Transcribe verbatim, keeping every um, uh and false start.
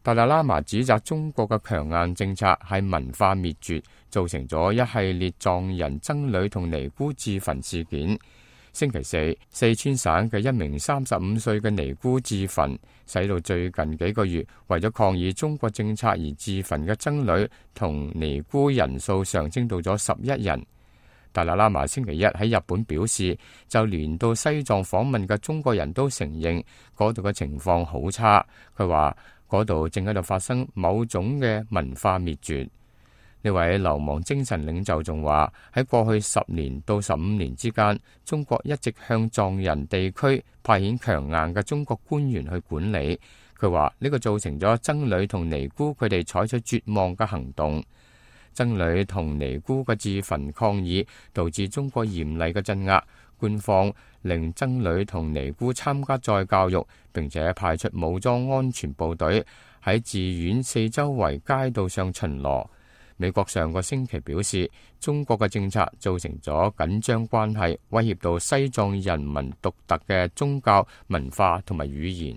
達賴喇嘛指責中國嘅強硬政策係文化滅絕，造成咗一系列藏人僧侶同尼姑自焚事件。星期四，四川省嘅一名三十五歲嘅尼姑自焚，使到最近幾個月為咗抗議中國政策而自焚嘅僧侶同尼姑人數上升到咗十一人。達賴喇嘛星期一喺日本表示，就連到西藏訪問嘅中國人都承認嗰度嘅情況好差。佢話嗰度正喺度發生某種嘅文化滅絕。呢位流亡精神領袖仲話，喺過去十年到十五年之間，中國一直向藏人地區派遣強硬嘅中國官員去管理。佢話呢個造成咗僧侶同尼姑佢哋採取絕望嘅行動。僧侶同尼姑嘅自焚抗議導致中國嚴厲嘅鎮壓，官方令僧侶同尼姑參加再教育，並且派出武裝安全部隊喺寺院四周圍街道上巡邏。美國上個星期表示，中國嘅政策造成咗緊張關係，威脅到西藏人民獨特嘅宗教、文化同埋語言。